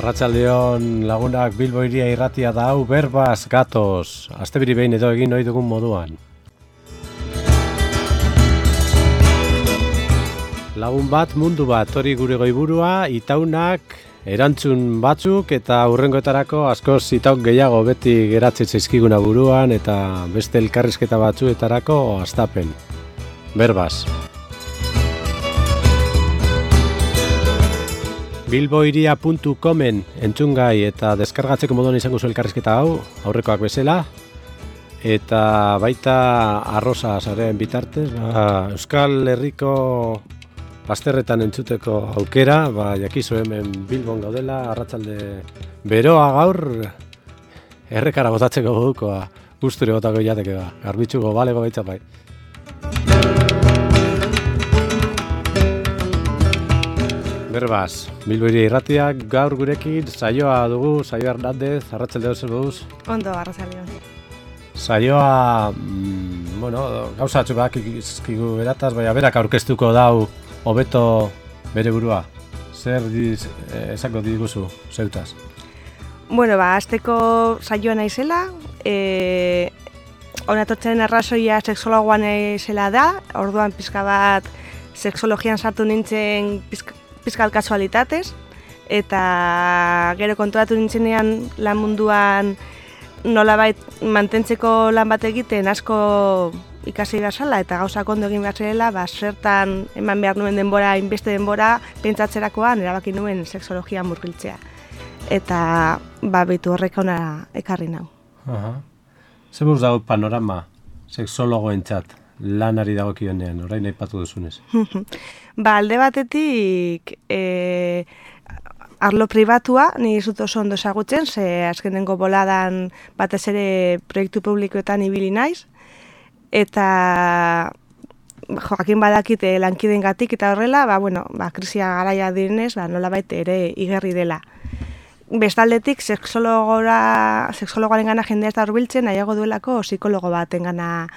Arratsaldeon lagunak, Bilbo Hiria irratia da hau, berbaz gatoz, astebiri behin edo egin ohi dugun moduan. Lagun bat, mundu bat, hori gure goiburua, itaunak, erantzun batzuk eta hurrengoetarako askoz itaun gehiago beti geratzen zaizkiguna buruan eta beste elkarrizketa batzuetarako hastapen. Berbaz. bilbohiria.comen entzungai eta deskargatzeko moduan izango zu elkarrizketa hau, aurrekoak bezala, eta baita arroza sareen bitartez, Euskal Herriko bazterretan entzuteko aukera, jakizu hemen Bilbon gaudela, arratsalde beroa gaur, errekara botatzeko modukoa, gusture botako jateke da, garbitzuko balego baitza bai. Berbaz, Bilbo Hiria irratiak gaur gurekin saioa dugu, Saio Hernandez, arratsaldeo zer moduz? Ondo, arratsaldeon. Saioa, gauza batzuk bakizkigu berataz, baina berak aurkeztuko dau hobeto bere burua. Zer esango diguzu, zeutaz? Azteko saioa naizela, onatortzen arrazoia sexologoan naizela da, orduan pizka bat sexologian sartu nintzen pizkal kasualitatez, eta gero konturatu nintzenean lan munduan nolabait mantentzeko lan bat egiten asko ikasi gazala eta gauzak ondo egin behar zirela, zertan eman behar nuen denbora, inbeste denbora, pentsatzerakoan erabaki nuen sexologia murgiltzea. Eta behitu horrek ona ekarri nau. Zer buruz dago panorama sexologoentzat lanari dagokionean, orain aipatu duzunez? Alde batetik arlo pribatua, ni zut oso ondo ezagutzen, ze azkenengo boladan batez ere proiektu publikoetan ibili naiz, eta jakin badakit lankideengatik eta horrela, krisia garaia direnez, nolabait ere igerri dela. Bestaldetik, sexologoaren gana jendea ez da hurbiltzen, nahiago duelako psikologo baten gana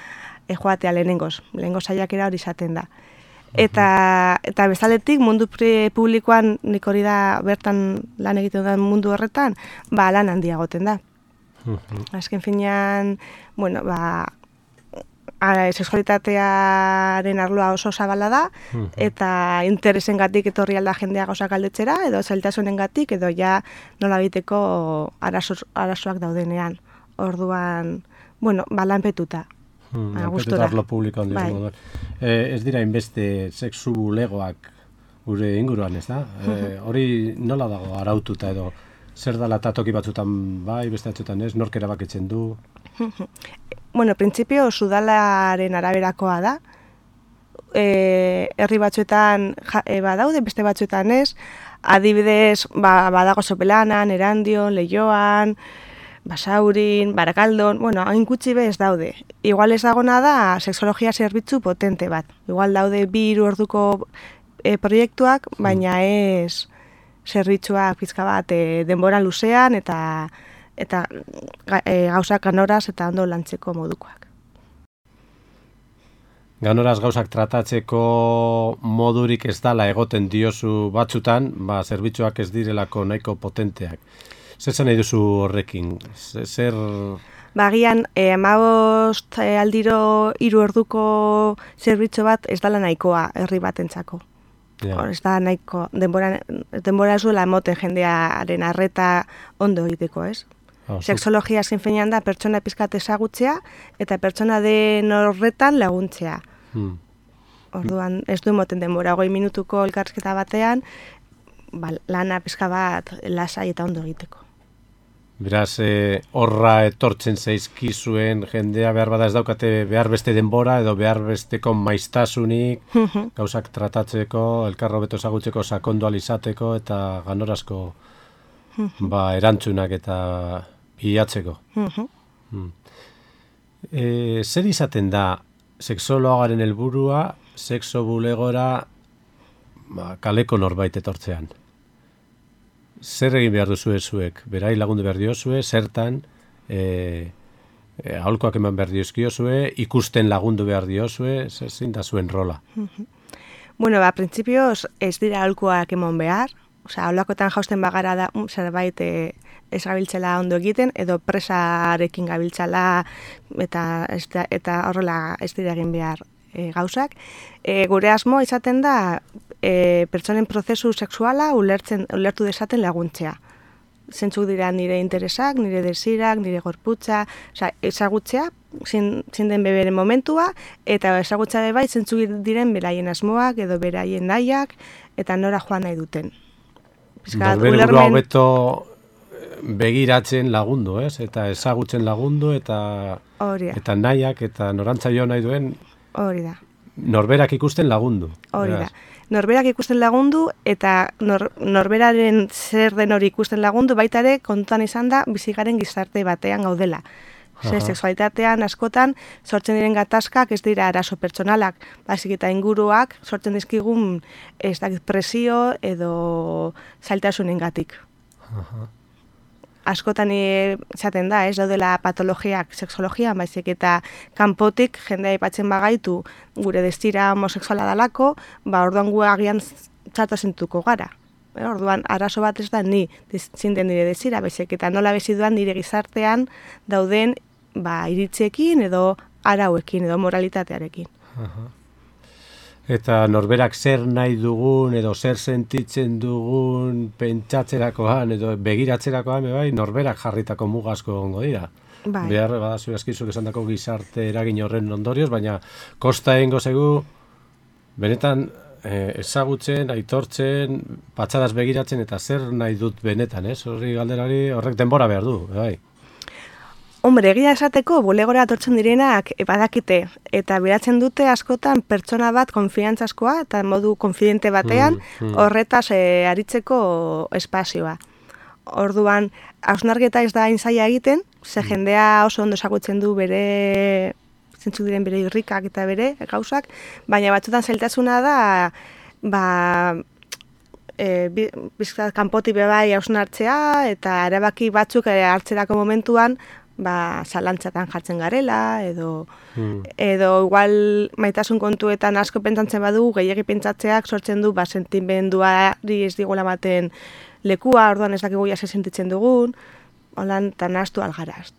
joatea lehenengoz saiakera hori izaten da. Eta bestaldetik, mundu publikoan, nik hori da bertan lan egiten da mundu horretan, lan handiagoten da. Azken finean, sexualitatearen arloa oso zabala da, eta interesengatik etorri alda jendea gauzak aldetzera, edo zailtasunengatik, edo ja nola biteko arazoak daudenean. Orduan, lanpetuta. Lanpetuta arlo publikoan dira. Ez dira inbeste sexu bulegoak gure inguruan, ez da? Hori nola dago araututa edo zer dala eta toki batzutan beste batzutan ez, nork erabakitzen du? Printzipio sudalaren araberakoa da. Herri batzuetan badaude, beste batzuetan ez. Adibidez, badago Sopelanan, Erandion, Leioan, Basaurin, Barakaldon, hain gutxi ez daude. Igual ez dagona da sexologia zerbitzu potente bat. Igual daude 2-3 orduko proiektuak, baina ez zerbitzuak pizka bat denbora luzean eta gauzak ganoraz eta ondo lantzeko modukoak. Ganoraz gauzak tratatzeko modurik ez dala egoten diozu batzutan, zerbitzuak ez direlako nahiko potenteak. Zer zen nahi duzu horrekin? Zer... Bagian, 15 aldiro 3 orduko zerbitzu bat ez dala nahikoa herri batentzako. Ez da nahiko, denbora ez duela emoten jendearen arreta ondo egiteko, ez? Sexologia azken finean da pertsona pizkat ezagutzea eta pertsona den horretan laguntzea. Orduan ez du emoten denbora 20 minutuko elkarrizketa batean, lana pizka bat lasai eta ondo egiteko. Beraz, horra etortzen zaizkizuen jendea behar bada ez daukate behar beste denbora edo behar besteko maiztasunik, gauzak tratatzeko, elkarro beto ezagutzeko sakondu alizateko eta ganorazko erantzunak eta bilatzeko. Zer izaten da sexologaren helburua sexo bulegora kaleko norbait etortzean? Zer egin behar duzu zuek? Berai lagundu behar diozue, zertan, aholkoak eman behar diozkiozue, ikusten lagundu behar diozue, zein da zuen rola? Printzipioz ez dira aholkoak eman behar, Osea, holakotan jausten bagara da zerbait ez gabiltzela ondo egiten, edo presarekin gabiltzala eta horrela ez dira egin behar gauzak. Gure asmo izaten da pertsonen prozesu sexuala ulertu dezaten laguntzea. Zentzuk dira nire interesak, nire desirak, nire gorputza, ezagutzea, zein den beberen momentua, eta ezagutzea bai zentzuk diren beraien asmoak edo beraien nahiak, eta nora joan nahi duten. Norbere burua hobeto begiratzen lagundu, ez? Eta ezagutzen lagundu, eta nahiak, eta norantza jo nahi duen, hori da. Norberak ikusten lagundu. Hori da. Norberak ikusten lagundu, eta norberaren zer den hori ikusten lagundu, baita ere kontutan izan da bizigaren gizarte batean gaudela. Sexualitatean askotan sortzen diren gatazkak ez dira arazo pertsonalak, baizik eta inguruak sortzen dizkigun ez dakit presio edo zailtasunengatik. Askotan izaten da, ez daudela patologiak sexologian, baizik eta kanpotik jendea aipatzen bagaitu gure destira homosexuala dalako, orduan gu agian txarto zentuko gara. Orduan arazo bat ez da ni zinden nire destira, baizik eta nola beziduan nire gizartean dauden iritziekin edo arauekin edo moralitatearekin. Eta norberak zer nahi dugun edo zer sentitzen dugun pentsatzerakoan edo begiratzerakoan norberak jarritako mugazko egongo dira. Behar badazu eskizuk esan dako gizarte eragin horren ondorioz, baina kosta egingo zegu benetan ezagutzen, aitortzen, patxadaz begiratzen eta zer nahi dut benetan, ez? Horrek denbora behar du, bai. Hombre, egia esateko, bulegora atortzen direnak badakite, eta beratzen dute askotan pertsona bat konfiantzazkoa eta modu konfidente batean horretaz aritzeko espazioa. Orduan, hausnarketa ez da hain zaila egiten, ze jendea oso ondo ezagutzen du bere zentzuk diren bere irrikak eta bere gauzak, baina batzutan zailtasuna da bizkat kanpotik bebai hausnartzea eta erabaki batzuk hartzerako momentuan zalantzatan jartzen garela, edo igual maitasun kontuetan asko pentsatzen badu, gehiagi pentsatzeak sortzen du sentimenduari ez digola ematen lekua, orduan ez dakigu jase sentitzen dugun, holan tan astu algaraz.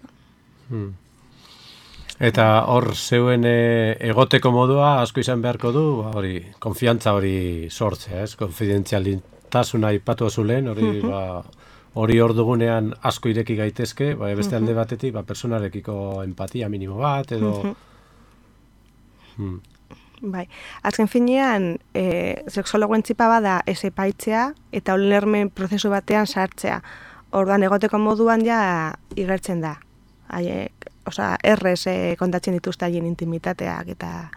Eta hor zeuen egoteko modua asko izan beharko du, hori, konfiantza hori sortzea, ez? Konfidentzialitasuna aipatu zulen, hori hor dugunean asko ireki gaitezke, beste alde batetik, personarekiko empatia minimo bat, edo... Bai, azken finean, sexologoen txipa bada ez epaitzea, eta ulermen prozesu batean sartzea. Orduan egoteko moduan ja igertzen da. Errez kontatzen dituzte haien intimitateak eta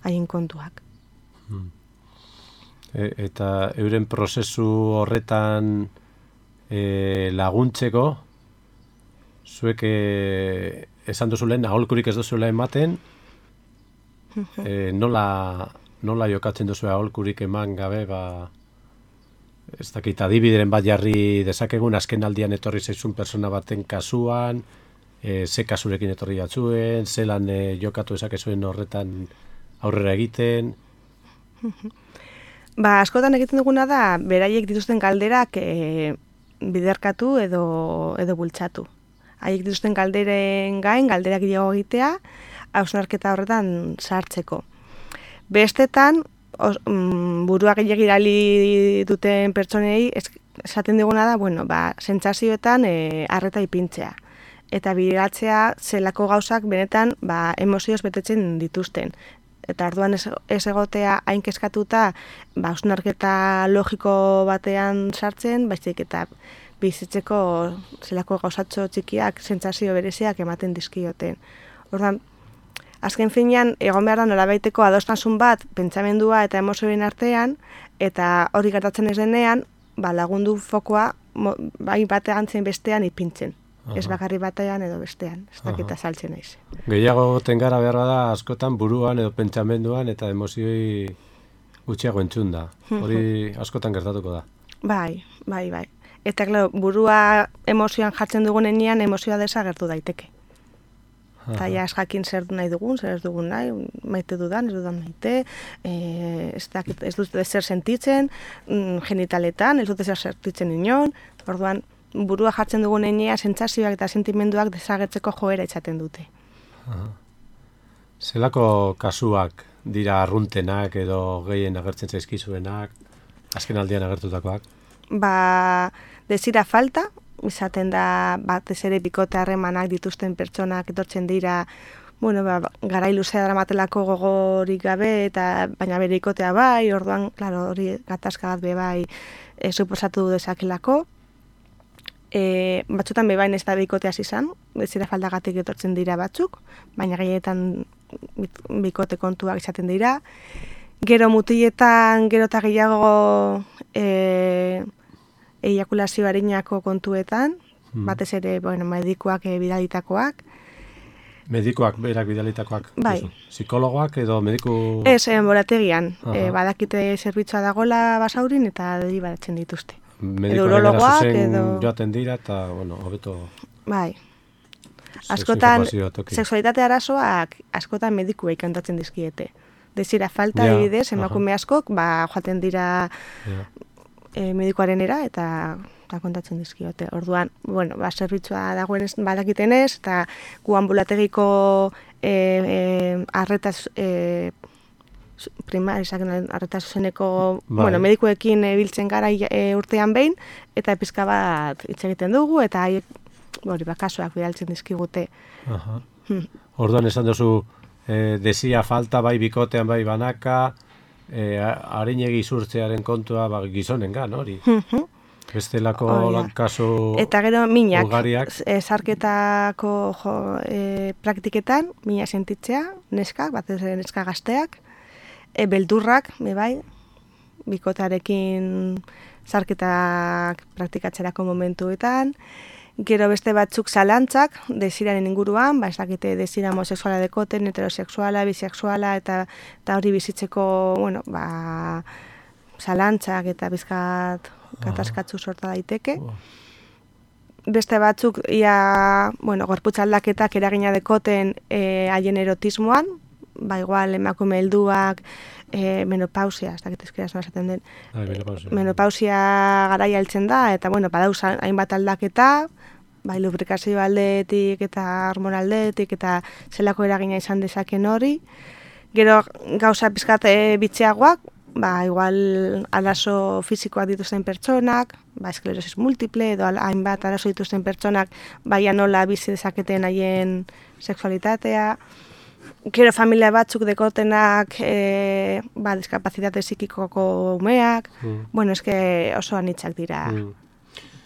haien kontuak. Eta euren prozesu horretan laguntzeko, zuek esan duzulen, aholkurik ez duzuela ematen, nola jokatzen duzu aholkurik eman gabe, ez dakit, adibideren bat jarri dezakegun, azken aldian etorri zaizun persona baten kasuan, ze kasurekin etorri jatzuen, zelan jokatu ezakezuen horretan aurrera egiten. Askotan egiten duguna da, beraiek dituzten galderak biderkatu edo bultzatu. Haiek dituzten galderen gain, galderak gehiago egitea, hausnarketa horretan sartzeko. Bestetan, burua gehiagirali duten pertsonei, esaten diguna da, sentsazioetan arreta ipintzea. Eta bideratzea zelako gauzak benetan emozioz betetzen dituzten. Eta orduan ez egotea hain kezkatuta hausnarketa logiko batean sartzen, baizik eta bizitzeko zelako gauzatxo txikiak, sentsazio bereziak ematen dizkioten. Orduan, azken finean, egon behar da nolabaiteko adostasun bat, pentsamendua eta emozioen artean, eta hori gertatzen ez denean, lagundu fokoa bai batean zen bestean ipintzen. Ez bakarri batean edo bestean, ez dakita saltzen naiz. Gehiago tengara behar da askotan buruan edo pentsamenduan eta emozioi gutxiago entzun da. Hori askotan gertatuko da. Bai. Eta burua emozioan jartzen dugunean emozioa desagertu daiteke. Eta ja ez jakin zer nahi dugun, zer ez dugun nahi, maite dudan, ez dudan maite, ez dut zer sentitzen, genitaletan, ez dut zer sentitzen inon, orduan burua jartzen dugun einea, sentsazioak eta sentimenduak desagertzeko joera izaten dute. Zelako kasuak dira arruntenak edo gehien agertzen zaizkizuenak, azken aldian agertutakoak? Desira falta, izaten da batez ere bikote harremanak dituzten pertsonak etortzen dira, garai luzea dramatelako gogorik gabe, baina bere bikotea bai, orduan, klaro, hori gatazka bat be bai suposatu dezakelako. Batzutan bebain ez da bikoteaz izan, desira faltagatik etortzen dira batzuk, baina gehienetan bikote kontuak izaten dira. Gero mutiletan, gero eta gehiago eiakulazio arinako kontuetan, batez ere, medikuak bidalitakoak. Medikuak berak bidalitakoak? Bai. Psikologoak edo mediku... Ez, enborategian. Badakite zerbitzua dagola basaurin eta deribatzen dituzte. Medikoak edo joaten dira eta, hobeto... Bai. Askotan, sexualitate arazoak askotan medikuei kantatzen dizkiete. Desira falta, adibidez, emakume askok, joaten dira medikuarenera eta kontatzen dizkiote. Orduan, zerbitzua dagoen badakitenez, eta gu ambulategiko arretaz arreta zuzeneko medikuekin biltzen gara urtean behin, eta pizka bat hitz egiten dugu, eta kasuak bidaltzen dizkigute. Orduan esan duzu, desira falta bai bikotean bai banaka, arinegi zurtzearen kontua gizonengan, hori? Bestelako kasu eta gero minak, ugariak. Zarketako praktiketan, mina sentitzea, neskak, batez ere neska gazteak, beldurrak, bai, bikotarekin zarketak praktikatzerako momentuetan, gero beste batzuk zalantzak, desiraren inguruan, ez dakite desira homosexuala dekoten, heterosexuala, bisexuala, eta hori bizitzeko, zalantzak eta bizkat kataskatzu sorta daiteke. Beste batzuk, gorputz aldaketak eragina dekoten haien erotismoan, igual emakume helduak, menopausia, ez dakit ezkeraz esaten den. Menopausia garaia heltzen da, eta badauz hainbat aldaketa, lubrikazio aldetik eta hormon aldetik, eta zelako eragina izan dezaken hori. Gero gauza pizkat bitxeagoak, igual arazo fisikoak dituzten pertsonak, esklerosis multiple, edo hainbat arazo dituzten pertsonak, nola bizi dezaketen haien sexualitatea. Gero familia batzuk dekotenak diskapazitate psikikoko umeak, eske oso anitzak dira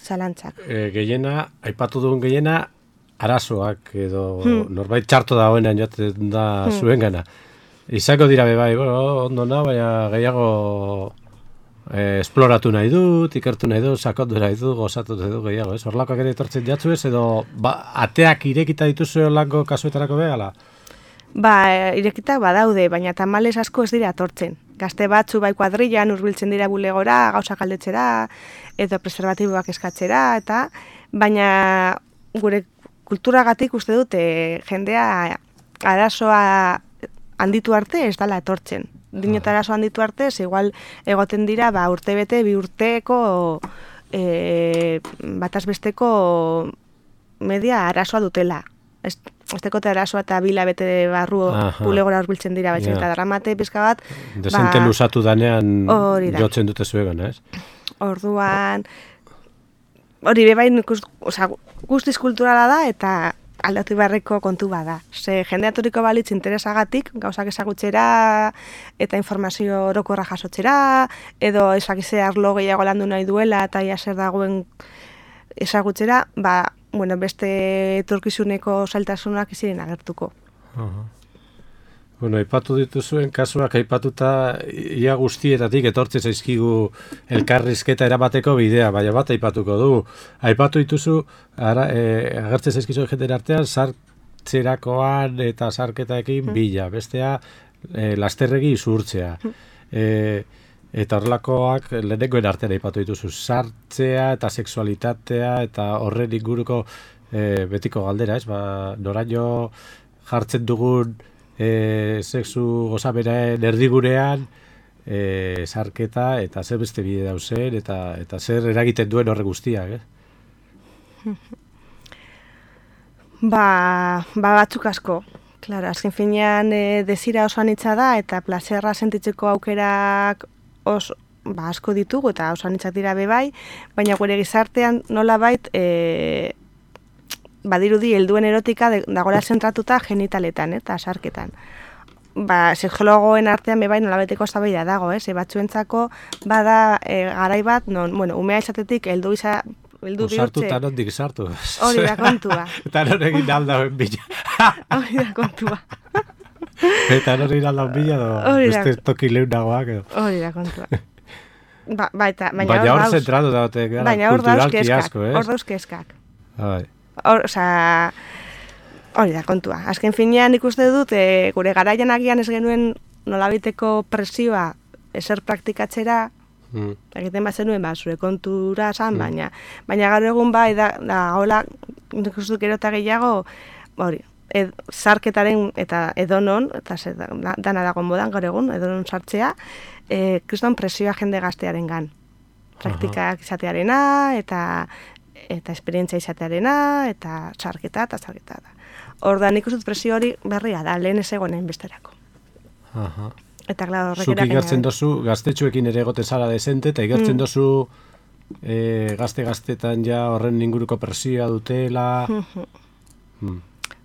zalantzak. Gehiena, aipatu dugun gehiena, arazoak edo norbait txarto dagoenean joaten da zuen gana. Izako dira bai, ondo nahi, baina gehiago esploratu nahi dut, ikertu nahi dut, sakondu nahi dut, gozatu nahi dut gehiago, ez? Horlakoak ere etortzen jatzu ez, edo ateak irekita dituzu horlako kasuetarako begala? Irekitak badaude, baina tamalez asko ez dira atortzen. Gazte batzu kuadrillan hurbiltzen dira bulegora, gauzak aldetzera, edo preservatiboak eskatzera, baina gure kulturagatik uste dute jendea arazoa handitu arte ez dala etortzen. Dinota arazo handitu arte, igual egoten dira urte bete, 2 urteko batazbesteko media arazoa dutela. Aztekote arazoa eta 2 hilabete barru bulegora hurbiltzen dira, baizik eta dramate pizka bat. Desente luzatu danean jotzen dute zuegan, ez? Orduan, hori bebain guztiz kulturala da eta aldatu beharreko kontu bada. Jende aturiko balitz interesagatik, gauzak ezagutzera eta informazio orokorra jasotzera, edo ezakize arlo gehiago landu nahi duela eta ia zer dagoen ezagutzera, beste etorkizuneko zailtasunak iziren agertuko. Aipatu dituzuen kasuak aipatuta ia guztietatik etortzen zaizkigu elkarrizketa erabateko bidea, baina bat aipatuko du. Aipatu dituzu, agertzen zaizkizu jendera artean, sartzerakoan eta sarketaekin bila, bestea lasterregi izurtzea. Eta horrelakoak lehenengoen artean aipatu dituzu, sartzea eta sexualitatea eta horren inguruko betiko galdera, ez? Noraino jartzen dugun sexu gozaberaen erdigurean sarketa eta zer beste bide dauzen eta zer eragiten duen horre guztiak, batzuk asko. Claro, azken finean desira oso anitza da eta plazerra sentitzeko aukerak asko ditugu eta oso anitzak dira bebai, baina gure gizartean nolabait badirudi helduen erotika dagoela zentratuta genitaletan eta sarketan. Sexologoen artean bebai nolabaiteko eztabaida dago, batzuentzako bada garai bat non, umea izatetik heldu bihurtze. Sartu eta nondik sartu. Hori da kontua. Eta norekin aldauen bila. Hori da kontua. Eta norekin aldauen bila, beste toki leunagoak. Hori da kontua. Baina hor zentratu daute gara kulturalki asko, hor dauzkezkak. Hori da kontua. Azken finean ikuste dut, gure garaian agian ez genuen nolabiteko presioa ezer praktikatzera, egiten bat zenuen, zure kontura esan, baina gaur egun da hola, ikustu dut gero eta gehiago, hori, sarketaren eta edonon, eta dana dago modan gaur egun, edonon sartzea, kriston presioa jende gaztearen gan. Praktikak izatearena, eta esperientzia izatearena, eta sarketa. Ordan ikusten presio hori berria da, lehen ez egonen besterako. Eta klaro, horrek zuk igertzen dozu, gaztetxuekin ere egote zara desente, eta igertzen dozu gazte-gaztetan ja horren inguruko presioa dutela.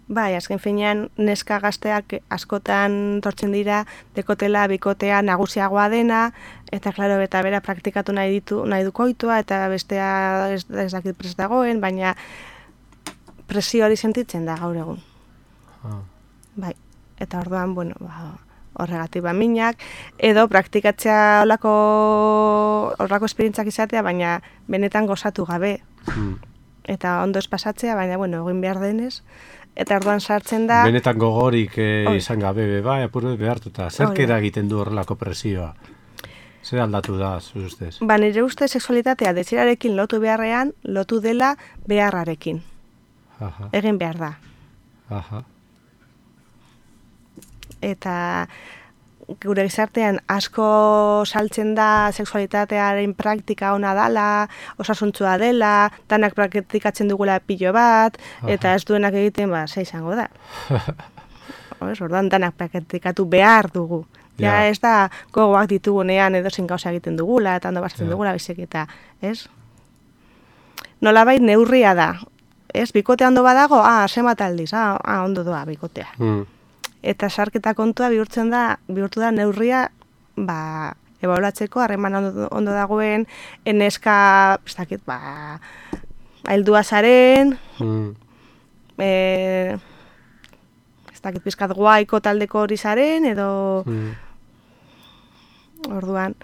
Bai, azken finean neska gazteak askotan tortzen dira dekotela, bikotea nagusiagoa dena, eta klaro, eta bera praktikatu nahi du koitua, eta bestea ez dakit prest dagoen, baina presio hori sentitzen da gaur egun. Bai, eta orduan, horregatik minak, edo praktikatzea horrako esperientzak izatea, baina benetan gozatu gabe. Eta ondo ez pasatzea, baina, egin behar denez, eta orduan sartzen da... Benetan gogorik izan gabe, bai, apurret behartuta. Zerkera egiten du horrelako presioa? Zer aldatu da, zure ustez? Nire ustez sexualitatea desirarekin lotu beharrean, lotu dela beharrarekin. Egin behar da. Eta gure gizartean asko saltzen da sexualitatearen praktika ona dela, osasuntsua dela, danak praktikatzen dugula pilo bat, eta ez duenak egiten, ze izango da. Orduan danak praktikatu behar dugu. Ja, ez da gogoak ditugunean edo zein gauza egiten dugula, eta ondo batzen dugula, bizek eta, ez? Nolabait neurria da. Ez, bikotea ondo badago, zemat aldiz, ondo doa bikotea. Eta sarketa kontua bihurtu da neurria, ebaulatzeko, harreman ondo dagoen, eneska, ez dakit, heldua zaren, ez dakit pizkat guaiko taldeko hori zaren, edo orduan,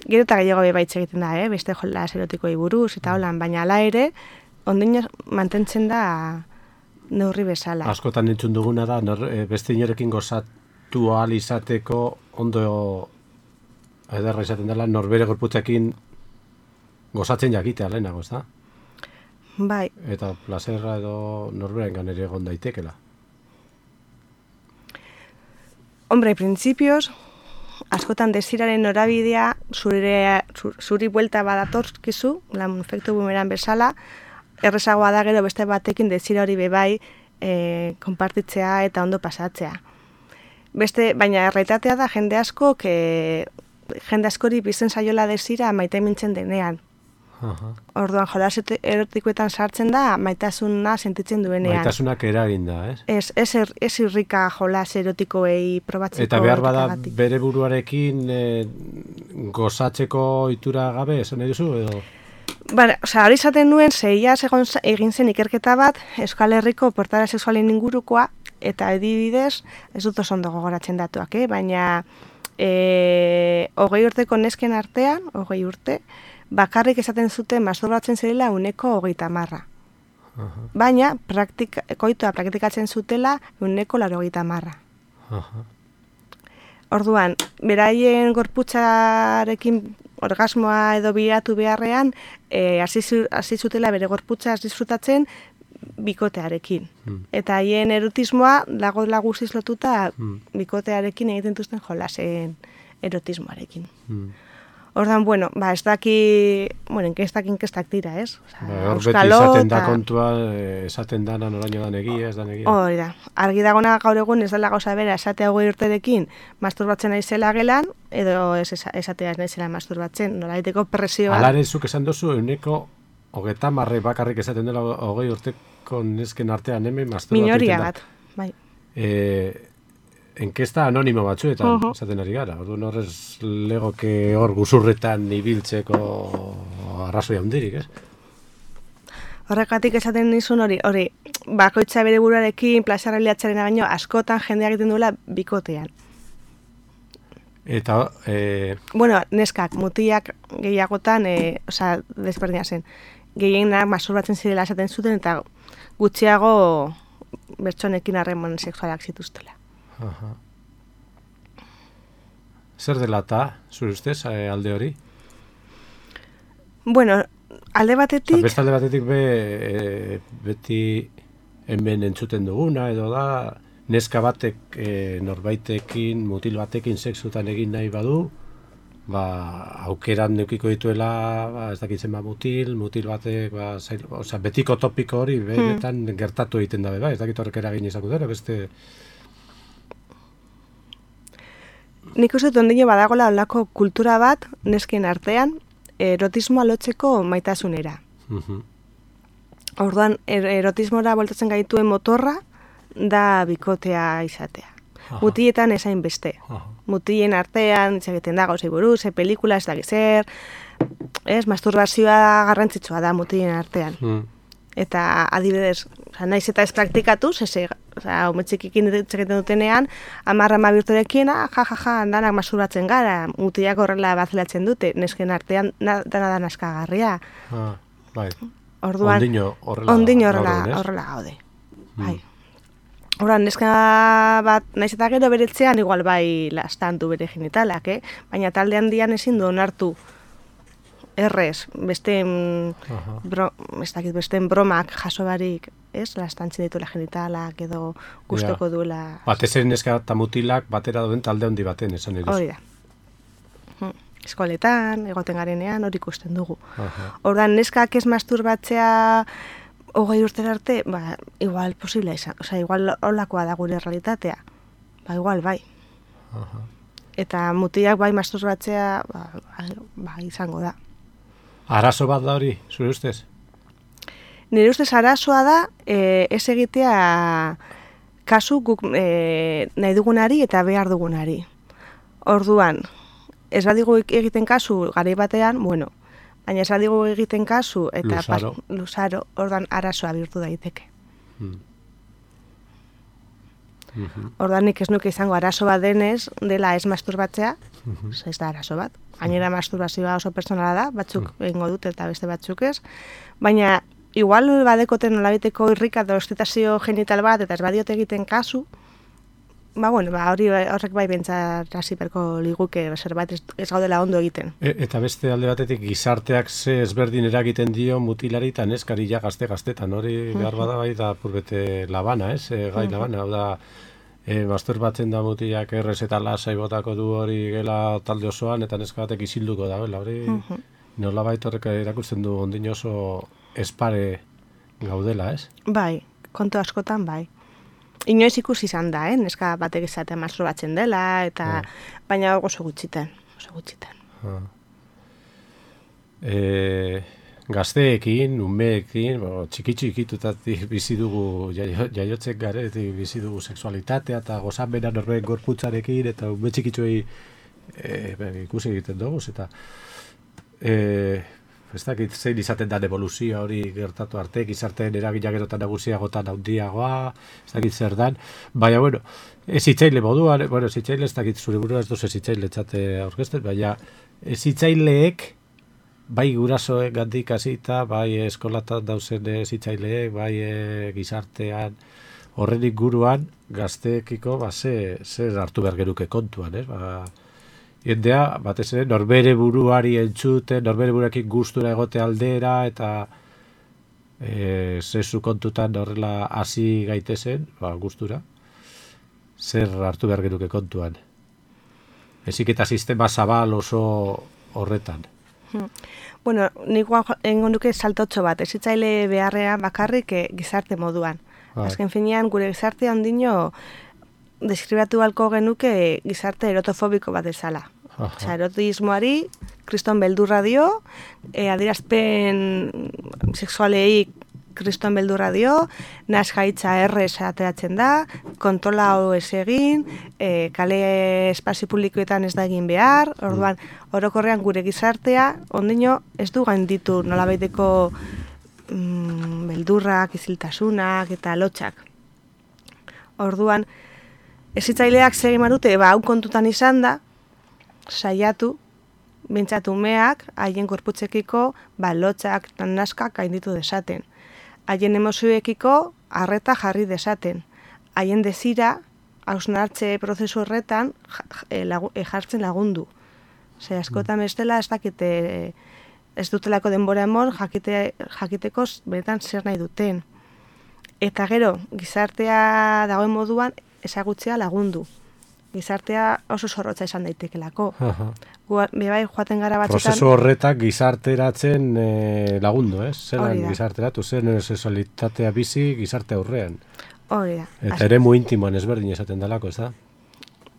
gero eta gehiago bebaitz egiten da, beste jolas erotikoei buruz, eta holan, baina ala ere, ondino mantentzen da neurri bezala. Askotan entzun duguna da, beste inorekin gozatu ahal izateko ondo ederra izaten dela, norbere gorputzekin gozatzen jakitea lehenago, ez da? Bai. Eta plazerra edo norberengan ere egon daitekela. Hombre, principios, askotan desiraren norabidea zuri buelta badatorkizu, lan efektu bumeran bezala, errezagoa da gero beste batekin desira hori bebai konpartitzea eta ondo pasatzea. Baina erreitatea da jende askori bizen zaiola desira maite mintzen denean. Orduan jolas erotikoetan sartzen da maitasuna sentitzen duenean. Maitasunak eragin da, ez? Ez irrika jolas erotikoei probatzeko. Eta behar bada bere buruarekin gozatzeko ohitura gabe, esan nahi duzu, edo? Hori izaten nuen, zeiaz egin zen ikerketa bat, Euskal Herriko portara sexualen ingurukoa, eta adibidez, ez dut oso ondo gogoratzen datuak, baina 20 urteko nesken artean, 20 urte, bakarrik esaten zuten masturbatzen zirela 130. Baina, koitoa praktikatzen zutela 180. Orduan, beraien gorputzarekin orgasmoa edo bilatu beharrean, hasi zutela bere gorputza disfrutatzen bikotearekin. Eta haien erotismoa dago guztiz lotuta bikotearekin egiten duzten jolasen erotismoarekin. Ordan, bueno, ez daki, inkestak dira, ez? Beti izaten da kontua, esaten dana noraino dan egia, ez dan egia. Hori da, argi dagona gaur egun ez dela gauza bera esatea 20 urterekin masturbatzen naizela gelan, edo esatea naizela masturbatzen, nolaiteko presioa. Alare zuk esan duzu, 30 bakarrik esaten dela 20 urteko nesken artean hemen masturbatzen da. Minoria bat, bai. Enkesta anonimo batzuetan esaten ari gara. Orduan horrez legoke hor guzurretan ibiltzeko arrazoi handirik, ez? Horregatik esaten nizun hori, bakoitza bere buruarekin plazarreliatzaren baino askotan jendea egiten duela bikotean. Eta... Bueno, neskak, mutilak gehiagotan, desberdina zen. Gehienak masturbatzen zirela esaten zuten eta gutxiago bertsonekin harreman sexualak zituztela. Zer dela eta, zure ustez, alde hori? Bueno, alde batetik... Beste alde batetik beti hemen entzuten duguna, edo da, neska batek norbaitekin, mutil batekin sexutan egin nahi badu, aukeran neukiko dituela, ez dakitzen mutil batek, betiko topiko hori, benetan gertatu egiten dabe, ez dakit horrek eragin izango dara, beste... Nik uste ondino badagola olako kultura bat, nesken artean, erotismoa lotzeko maitasunera. Orduan, erotismora voltatzen gaituen motorra, da bikotea izatea. Mutietan esain beste. Mutien artean, egiten da gauzei buruz, pelikula, ez dakizer, masturbazioa garrantzitsua da mutien artean. Eta adibidez, naiz eta ez praktikatuz, umetxikikin egiten dutenean, 10-12 urterekin, danak masturbatzen gara, mutilak horrela bazelatzen dute, nesken artean dana naskagarria. Orduan, ondino horrela gaude. Orduan, neska bat, naiz eta gero beretzean, igual bai lastan du bere genitalak, baina talde handian ezin du onartu errez, besteen bromak jaso barik, lastantzen dituela genitalak edo gustoko duela. Batez ere neska eta mutilak batera duen talde handi baten, esan eroz. Hori da. Eskoletan, egoten garenean, hori ikusten dugu. Ordan neskak ez masturbatzea 20 urtera arte, igual posible izan, igual holakoa da gure realitatea. Igual bai. Eta mutilak bai masturbatzea, izango da. Arazo bat da hori, zure ustez? Nire ustez arazoa da ez egitea kasu guk nahi dugunari eta behar dugunari. Orduan, ez badigu egiten kasu garai batean, bueno, baina ez badigu egiten kasu eta luzaro, orduan arazoa bihurtu daiteke. Orduan nik ez nuke izango arazo bat denez, dela ez masturbatzea, ez da arazo bat. Gainera masturbazioa oso personala da, batzuk egingo dute eta beste batzuk ez. Baina, igual badekoten nolabiteko irrika edo estitazio genital bat eta ez badiote egiten kasu, horrek bai bentsat hasiberko liguke zerbait ez gaudela ondo egiten. Eta beste alde batetik gizarteak ze ezberdin eragiten dio mutilari eta neskari ja gazte-gaztetan, hori behar bada bai da purbete labana, gai labana, hau da masturbatzen da mutilak errez eta lasai botako du hori gela talde osoan eta neska batek isilduko da, hori nolabait horrek erakusten du ondin oso espare gaudela, ez? Bai, kontu askotan bai. Inoiz ikusi izan da, neska batek izatea masturbatzen dela, eta baina oso gutxitan. Gazteekin, umeekin, txiki-txikitutatik bizi dugu, jaiotzek garetik bizi dugu sexualitatea eta gozamena norbeen gorputzarekin, eta ume txikitzuei ikusi egiten dugu, eta ez dakit zein izaten da evoluzioa hori gertatu arte, gizarteen eragina gero eta nagusiagotan handiagoa, ez dakit zer dan, baina, bueno, ez hitzaile moduan, ez hitzaile ez dakit zure burua ez duz ez hitzaile txate aurkezten, baina ez hitzaileek, bai gurasoek gandik hasita, bai eskolatan dauzen zitzaileek, bai gizartean, horren inguruan gazteekiko zer hartu behar geruke kontuan, jendea, batez ere, norbere buruari entzuten, norbere buruarekin gustura egote aldera, eta zezu kontutan horrela hasi gaitezen, gustura, zer hartu behar genuke kontuan. Ezik eta sistema zabal oso horretan. Bueno, nik egingo nuke saltotxo bat, ezitzaile beharrean bakarrik gizarte moduan. Azken finean, gure gizartea ondino deskribatu balko genuke gizarte erotofobiko bat ezala. Osa, erotismoari, kriston beldurra dio, adierazpen sexualei kriston beldurra dio, nasgaitza errez ateratzen da, kontrola hau ez egin, kale espazio publikoetan ez da egin behar, orduan, orokorrean gure gizartea, ondino ez du gainditu nolabaiteko beldurrak, iziltasunak eta lotxak. Orduan, hezitzaileak segin marute, hau kontutan izan da, saiatu, bintzatu umeak, haien korputzekiko, lotxak eta naskak gainditu desaten. Haien emozioekiko, arreta jarri desaten. Haien desira, hausnartze prozesu horretan, jartzen lagundu. Askotan bestela, ez dakite, ez dutelako denbora emon, jakiteko benetan zer nahi duten. Eta gero, gizartea dagoen moduan, ezagutzea lagundu. Gizartea oso zorrotza izan daitekelako. Bebai joaten gara batzutan... Prozesu horretak gizarteratzen lagundu, ez? Zelan gizarteratu, zen sexualitatea bizi gizarte aurrean. Hori da. Eta eremu intimoan ezberdin esaten dalako, ez da?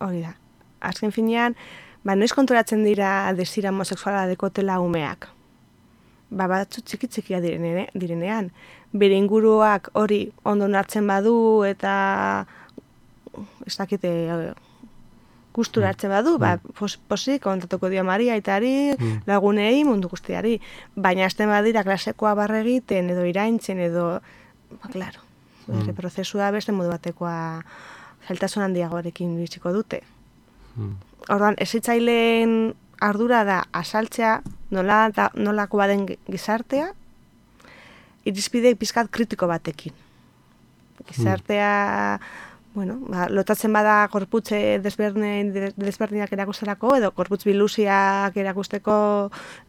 Hori da. Azken finean, noiz kontrolatzen dira desira homosexuala dekotela umeak. Batzu txiki-txikia direnean. Bere inguruak hori ondo nartzen badu eta ez dakite gustura hartzen badu, posik kontatuko dio Maria aitari, lagunei, mundu guztiari. Baina azten badira klasekoa barre egiten, edo iraintzen, edo, klaro, bere prozesua beste modu batekoa zailtasun handiagoarekin biziko dute. Orduan, hezitzaileen ardura da asaltzea nolako baden gizartea, irizpide pizkat kritiko batekin. Gizartea... lotatzen bada korputze desberdinak erakusterako, edo korputz biluziak erakusteko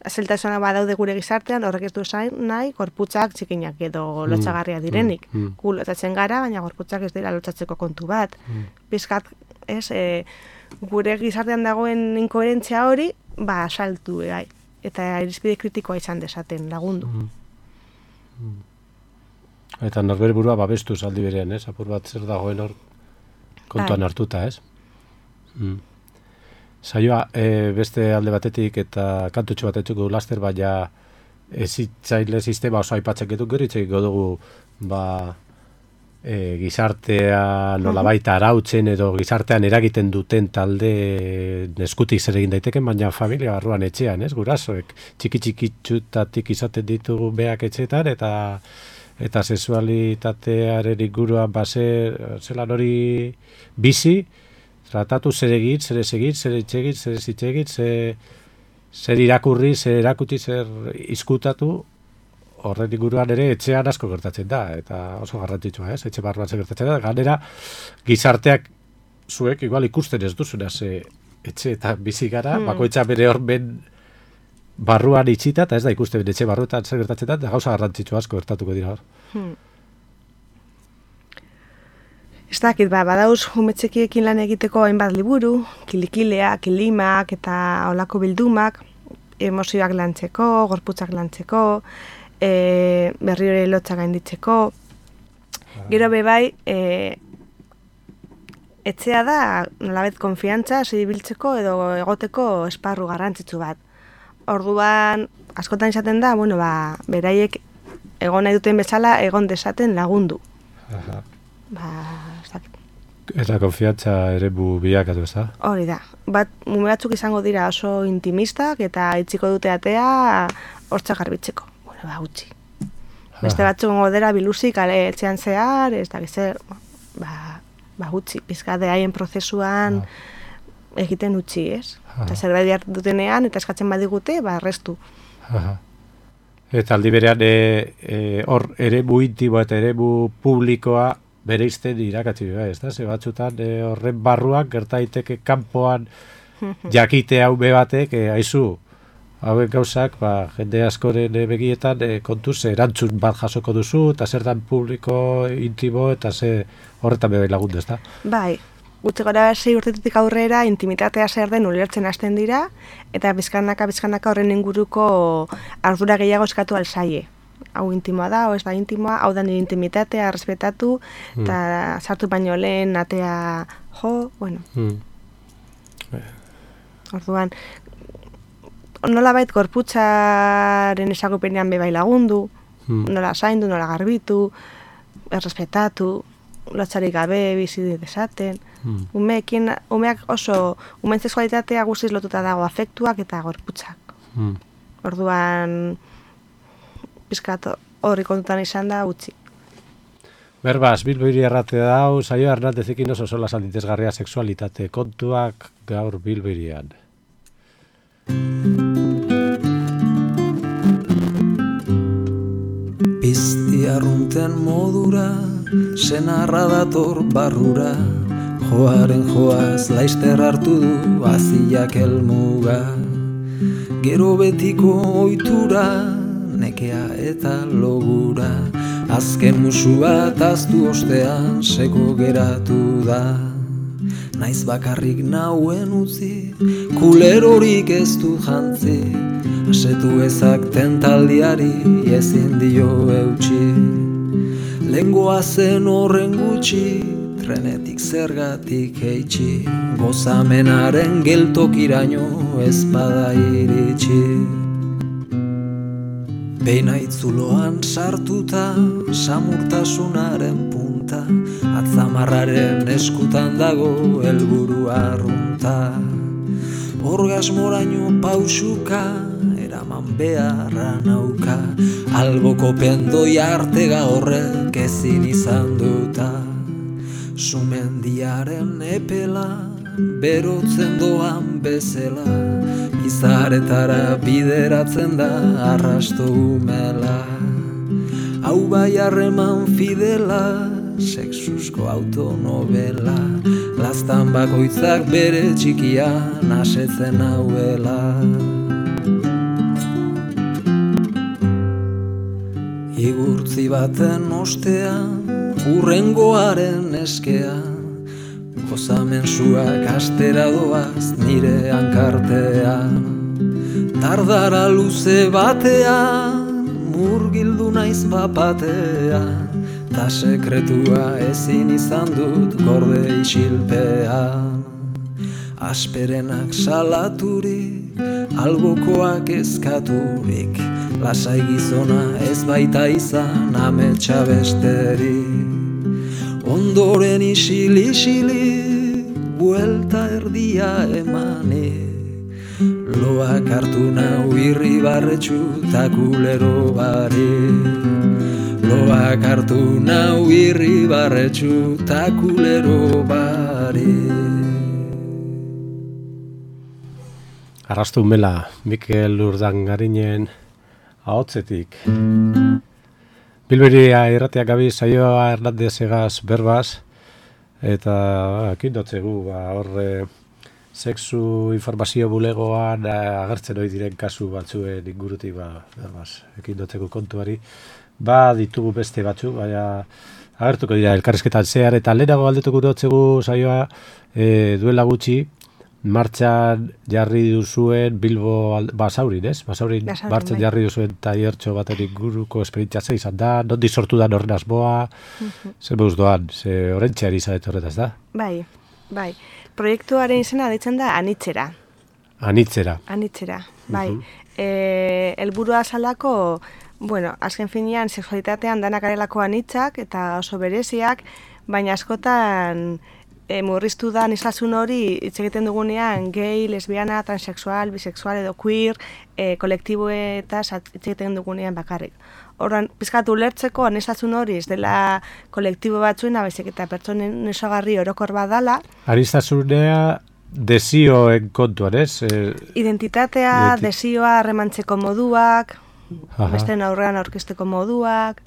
zeltasuna badaude gure gizartean, horrek ez du esan nahi, korputzak txikinak edo lotxagarria direnik. Gu lotatzen gara, baina korputzak ez dira lotxatzeko kontu bat. Pizkat, gure gizartean dagoen inkoherentzia hori, saltu, eta irizpide kritikoa izan desaten lagundu. Eta norbere burua babestu aldi berean, ez? Apur bat zer dagoen hor kontuan hartuta, ez? Saioa, beste alde batetik eta kantutxo batetik laster, baina hezitzaile sistema oso aipatzen getuk gero itxekiko dugu gizartea nolabait arautzen edo gizartean eragiten duten talde eskutik zer egin daiteken, baina familia barruan etxean, ez? Gurasoek txiki-txikitxutatik izaten ditugu beak etxetan eta sexualitatearen inguruan zelan hori bizi, tratatu zer egin, zer ez egin, zer etxegin, zer ez itxegin, zer irakurri, zer erakuti, zer izkutatu, horren inguruan ere etxean asko gertatzen da, eta oso garrantzitsua, ez? Etxe barruan zer gertatzen da, ganera gizarteak zuek igual ikusten ez duzuna, etxe eta bizi gara, bakoitza bere hormen barruan itxita, eta ez da ikusten etxe barruetan zer gertatzen da, gauza garrantzitsua asko gertatuko dira hor. Ez dakit, badauz umetxekiekin lan egiteko hainbat liburu, kilikilea, kilimak eta olako bildumak, emozioak lantzeko, gorputzak lantzeko, berri hori lotxak gainditzeko. Gero bebai, etxea da nolabait konfiantza zibiltzeko edo egoteko esparru garrantzitsu bat. Orduan, askotan izaten da, beraiek egon nahi duten bezala egon desaten lagundu. Eta konfiantza ere bilakatu, ez da? Hori da. Mume batzuk izango dira oso intimistak eta itziko dute atea hortzak garbitzeko. Utzi. Beste batzuk dira biluzik, etxean zehar, ez da gizer, utzi. Pizkade haien prozesuan egiten utzi, ez? Eta zerbait behar dutenean, eta eskatzen badigute, errestu. Eta aldi berean, hor eremu intimoa eta eremu publikoa bere izten irakatzi behar, ez da? Ze batzutan horren barruan, gertaiteke kanpoan jakite hau batek, hauek gauzak, jende askoren begietan kontuz erantzun bat jasoko duzu, eta zer dan publiko, intimo, eta horretan bebai lagundu, ez da? Bai, gutxi gora 6 urtetik aurrera intimitatea zer den ulertzen hasten dira, eta bizkanaka horren inguruko ardura gehiago eskatu alzaie. Hau intimoa da, hau ez da intimoa, hau da nire intimitatea, respetatu, eta sartu baino lehen atea jo, bueno. Orduan, nolabait gorputzaren ezagupenean bebai lagundu, nola zaindu, nola garbitu, errespetatu, lotxarik gabe bizi dezaten. Umeak oso, umeen sexualitatea guztiz lotuta dago afektuak eta gorputzak. Orduan, pizkat horri kontutan izan da utzi. Berbaz, Bilbo erratea dau, Saio Hernandezekin oso sola salditezgarria sexualitate kontuak gaur Bilbo hirian. Pizti arrunten modura, senarra dator barrura, joaren joaz laizter hartu du aziak helmuga. Gero betiko ohitura, nekea eta logura, azken musu bat aztu ostean seko geratu da. Naiz bakarrik nauen utzi, kulerorik ez du jantzi, asetu ezak tentaldiari ezin dio eutxi. Lengoa zen horren gutxi, trenetik zergatik heitxi, gozamenaren geltokiraino ez bada iritsi. Beina itzuloan sartuta, samurtasunaren punta, atzamarraren eskutan dago helburu arrunta. Orgasmoraino pausuka, eraman beharra nauka, alboko pendoi artega horrek ezin izan duta. Sumendiaren epela, berotzen doan bezela, izaretara bideratzen da arrasto umela. Hau bai harreman fidela, sexusko autonovela, laztan bakoitzak bere txikian asetzen hauela. Igurtzi baten ostean, urrengoaren eskean, gozamensuak astera doaz nire hankartean. Tardara luze batean, murgildu naiz papatean, ta sekretua ezin izan dut gorde isilpean. Asperenak salaturik, albokoak eskaturik, lasai gizona ez baita izan ametsa besterik. Ondoren isili, buelta erdia emanik, loak hartu nau irribarretxu ta kulero barik. Loak hartu nau irribarretxu ta kulero barik. Arrastu mela, Mikel Urdangarinen ahotzetik. Bilberia irratiak gabi Saioa Hernandezegaz berbaz, eta ekin dotzegu, horre sexu informazio bulegoan agertzen hori diren kasu batzuen ingurutik berbaz, ekin dotzegu kontuari. Ditugu beste batzu, baina agertuko dira elkarrizketan zehar, eta lehenago aldetuko dotzegu Saioa duela gutxi, martxan jarri duzuen Bilbo Basaurin, ez? Basaurin martxan jarri duzuen taiertxo baten inguruko esperientzia izan da, nondi sortu da horren asmoa, zer beuz doan, ze orentxeari izadet horretaz da? Bai. Proiektuaren izena deitzen da Anitzera. Anitzera, bai. Helburua zalako, azken finean sexualitatean danak garelako anitzak eta oso bereziak, baina askotan murriztu da nislasun hori hitz egiten dugunean gay, lesbiana, transexual, bisexual edo queer kolektiboetaz hitz egiten dugunean bakarrik. Horren, pizkat ulertzeko nislasun hori ez dela kolektibo batzuena, baizik eta pertsonen osagarri orokor badala. Aniztasunea desioen kontuan, ez? Identitatea, desioa, harremantzeko moduak, beste aurrean aurkezteko moduak.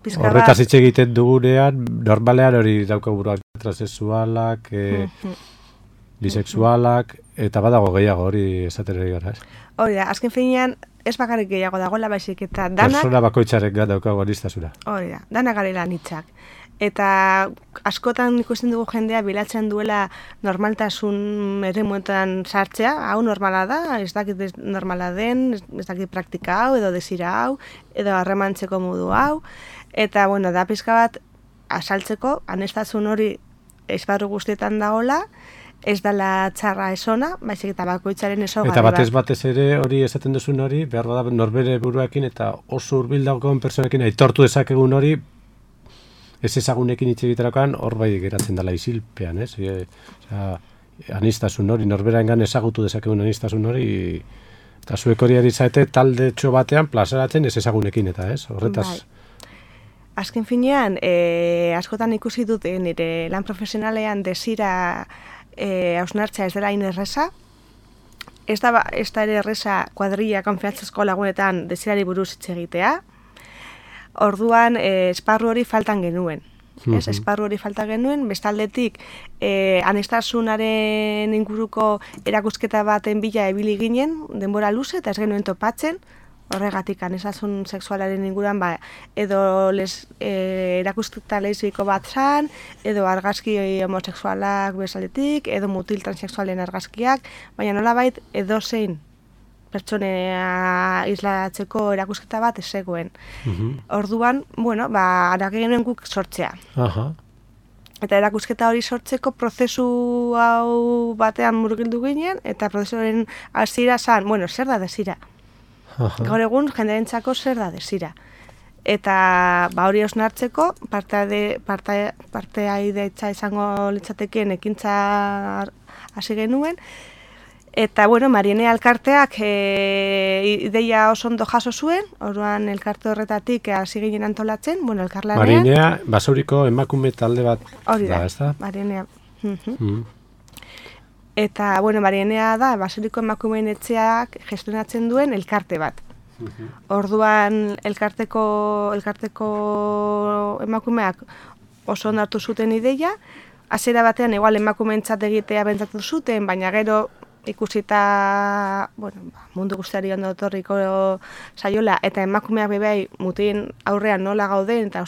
Horretaz hitz egiten dugunean, normalean hori daukaguruan transexualak, bisexualak, eta badago gehiago hori esaterari gara, ez? Hori da, azken finean, ez bakarrik gehiago dagoela baizik eta danak... Persona bakoitzarek daukagu anistasuna. Hori da, danak garela nitzak. Eta askotan ikusten dugu jendea bilatzen duela normaltasun eremuetan sartzea, hau normala da, ez dakit normala den, ez dakit praktika hau, edo desira hau, edo harremantzeko modu hau, eta bueno, da pizka bat asaltzeko, anestasun hori esparru guztietan dagoela, ez dela txarra esona, baizik eta bakoitzaren esogarri bat. Eta batez ere hori esaten duzun hori, behar bada norbere buruakin eta oso hurbil dagoen personekin aitortu dezakegun hori, ez ezagunekin hitz egiterakoan hor bai geratzen dela isilpean, ez? Anistasun hori, norberaengan ezagutu dezakegun anistasun hori, eta zuek hori ari zaete talde txo batean plazaratzen ez ezagunekin eta, ez? Horretaz... Bai. Azken finean, askotan ikusi dut nire lan profesionalean desira hausnartzea ez dela hain erreza. Ez da ere erreza kuadrilla konfiantzazko lagunetan desirari buruz hitz egitea. Orduan, esparru hori faltan genuen. Ez, esparru hori falta genuen, bestaldetik anestasunaren inguruko erakusketa baten bila ebili ginen, denbora luze, eta ez genuen topatzen, horregatik anestasun sexualaren inguruan, edo erakusketa lesbiko bat zan, edo argazki homosexualak bestaldetik, edo mutil transexualen argazkiak, baina nolabait edozein pertsonea islatzeko erakusketa bat ez zegoen. Orduan, bueno, araki genuen guk sortzea. Eta erakusketa hori sortzeko prozesu hau batean murgildu ginen, eta prozesuaren hasiera zan, bueno, zer da desira? Gaur egun jenderentzako zer da desira? Eta hori osnartzeko, partea ideitza izango litzatekeen ekintza hasi genuen, eta, bueno, Marienea elkarteak ideia oso ondo jaso zuen, orduan elkarte horretatik hasi ginen antolatzen, bueno, elkarlanean. Marienea, Basauriko emakume talde bat da, ez da? Marienea. Eta, bueno, Marienea da, Basauriko emakumeen etxeak gestionatzen duen elkarte bat. Orduan elkarteko emakumeak oso ondo hartu zuten ideia, hasiera batean igual emakumeentzat egitea pentsatu zuten, baina gero ikusita, bueno, mundu guztiari ondo etorriko saiola, eta emakumeak bebai mutien aurrean nola gauden, eta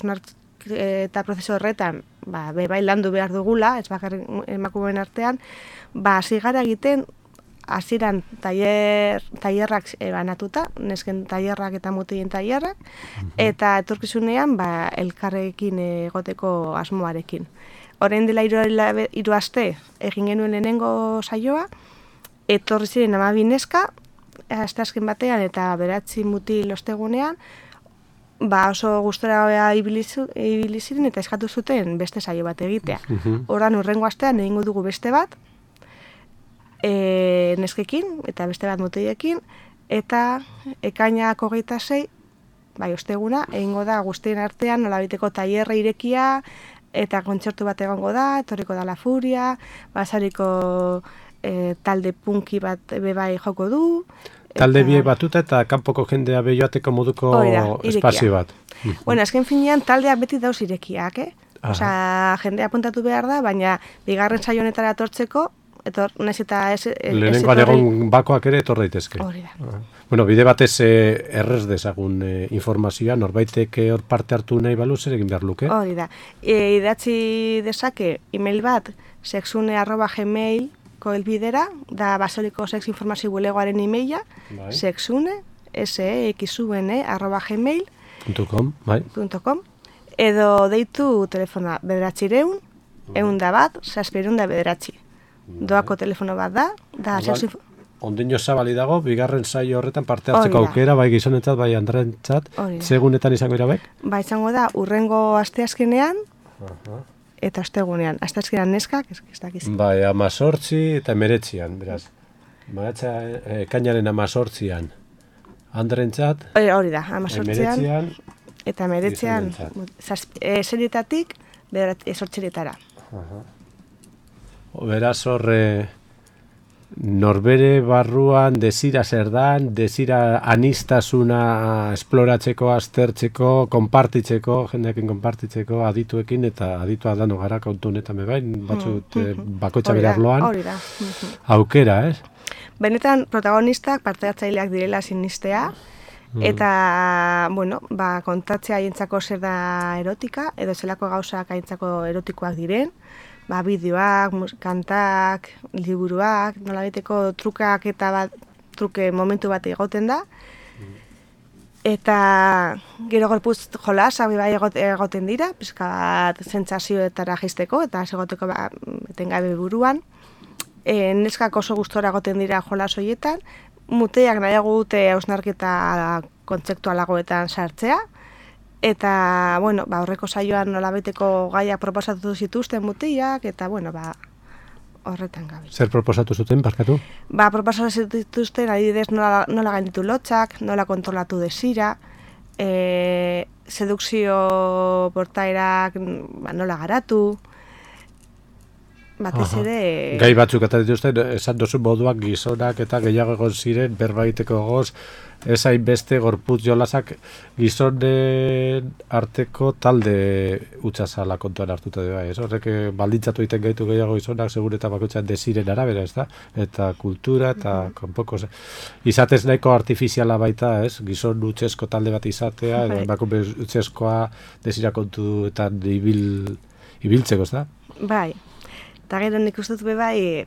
prozesu horretan, bebai landu behar dugula, ez bakarrik emakumeen artean, hasi gara egiten, hasieran tailerrak banatuta, nesken tailerrak eta mutien tailerrak, eta etorkizunean elkarrekin egoteko asmoarekin. Orain dela 3 aste egin genuen lehenengo saioa, etorri ziren 12 neska, asteazken batean eta 9 mutil ostegunean, oso gustora ibili ziren eta eskatu zuten beste saio bat egitea. Orduan hurrengo astean egingo dugu beste bat, neskekin eta beste bat mutilekin, eta ekainak 26, osteguna, egingo da guztien artean nolabiteko tailerra irekia, eta kontzertu bat egongo da, etorriko da La Furia, Basariko talde punki bat bebai joko du. Talde biek batuta eta kanpoko jendea behioateko moduko espazio bat. Bueno, azken finean taldeak beti dauz irekiak, Osea, jendea apuntatu behar da, baina bigarren saio honetara etortzeko, nahiz eta lehenengoan egon bakoak ere etor daitezke. Hori da. Bueno, bide batez errez dezagun informazioa, norbaitek hor parte hartu nahi balu, zer egin behar luke? Hori da. Idatzi dezake email bat, sexune@gmail.com elbidera, da Basauriko sex informazio bulegoaren emaila, sexune, sexune@gmail.com, edo deitu telefona 900 101 609. Doako telefono bat da Ondino zabali dago, bigarren saio horretan parte hartzeko aukera, bai gizonentzat, bai andrentzat, segunetan izango irabek? Izango da, urrengo asteazkenean, eta ostegunean, asteazkenean neskak, ez dakiz. 18 eta 19, beraz. Kainaren 18an andrentzat. Hori da, 18an eta 19an serietatik 18etara. Beraz hor norbere barruan desira zer dan, desira anistasuna esploratzeko, aztertzeko, konpartitzeko, jendeekin konpartitzeko, adituekin, eta aditua dano gara kontu honetan bebain, batzut bakoitza bere arloan. Aukera, ez? Benetan protagonistak parte-hartzaileak direla sinistea, eta, bueno, kontatzea haientzako zer da erotika, edo zelako gauzak haientzako erotikoak diren, bideoak, kantak, liburuak, nolabiteko trukak eta truke momentu bat egoten da. Eta gero gorputz jolasak bai egoten dira, pixka bat sentsazioetara jaisteko eta segoteko etengabe buruan. Neskak oso gustora egoten dira jolas horietan, muteak nahiago dute hausnarketa kontzeptualagoetan sartzea. Eta, bueno, horreko saioan nolabeteko gaiak proposatu zituzten mutiak, eta, bueno, horretan gabe. Zer proposatu zuten, barkatu? Proposatu zituzten, adibidez, nola gainditu lotxak, nola kontrolatu desira, sedukzio portaerak nola garatu, batez ere... Gai batzuk eta dituzten, esan dozu moduak gizonak eta gehiago egon ziren, berbaiteko goz, ez hainbeste gorputz jolasak gizonen arteko talde utzazala kontuan hartuta dira. Horrek baldintzatu egiten gaitu gehiago gizonak, segur eta bakoitzan desiren arabera, ez da? Eta kultura, eta kanpoko izatez nahiko artifiziala baita, ez? Gizon utzesko talde bat izatea, edo emakume utzeskoa desira kontuetan ibiltzeko, ez da? Bai. Eta gero nik uste dut bai,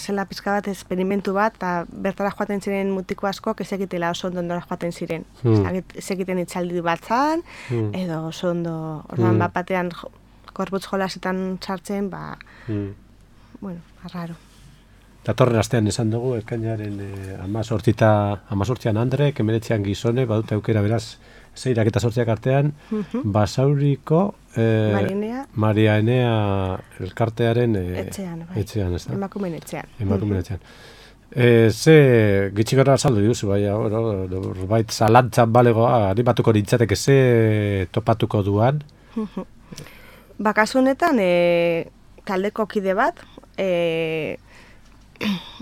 zela pizka bat esperimentu bat, eta bertara joaten ziren mutiko askok ezekitela oso ondo nora joaten ziren. Ezekiten itxaldi bat zan, edo oso ondo, orduan batean korputz jolasetan sartzen, arraro. Datorren astean esan dugu, ekainaren 18an Andre, 19an Gizone, badute aukera beraz, 6 eta 8 artean, Basauriko Maria Enea elkartearen etxean, ez da? Emakumeen etxean. Ze gitxigara saldu duzu, bait zalantzan balegoa, animatuko nintzateke ze topatuko duan? Kasu honetan, taldeko kide bat,